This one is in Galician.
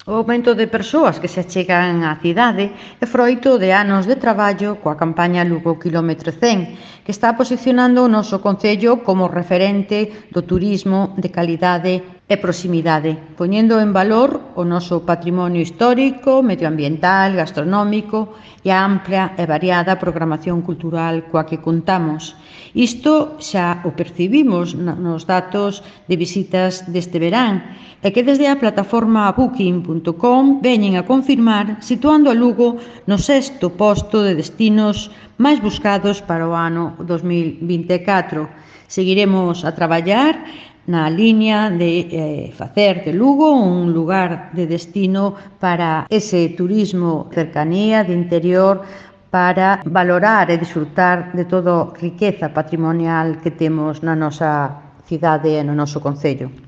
O aumento de persoas que se achegan á cidade é froito de anos de traballo coa campaña Lugo Quilómetro 100, que está posicionando o noso concello como referente do turismo de calidade e proximidade, poñendo en valor o noso patrimonio histórico, medioambiental, gastronómico e a ampla e variada programación cultural coa que contamos. Isto xa o percibimos nos datos de visitas deste verán, e que desde a plataforma booking.com veñen a confirmar, situando a Lugo no 6º posto de destinos máis buscados para o ano 2024. Seguiremos a traballar na liña de facer de Lugo un lugar de destino para ese turismo cercanía de interior, para valorar e disfrutar de toda a riqueza patrimonial que temos na nosa cidade e no noso concello.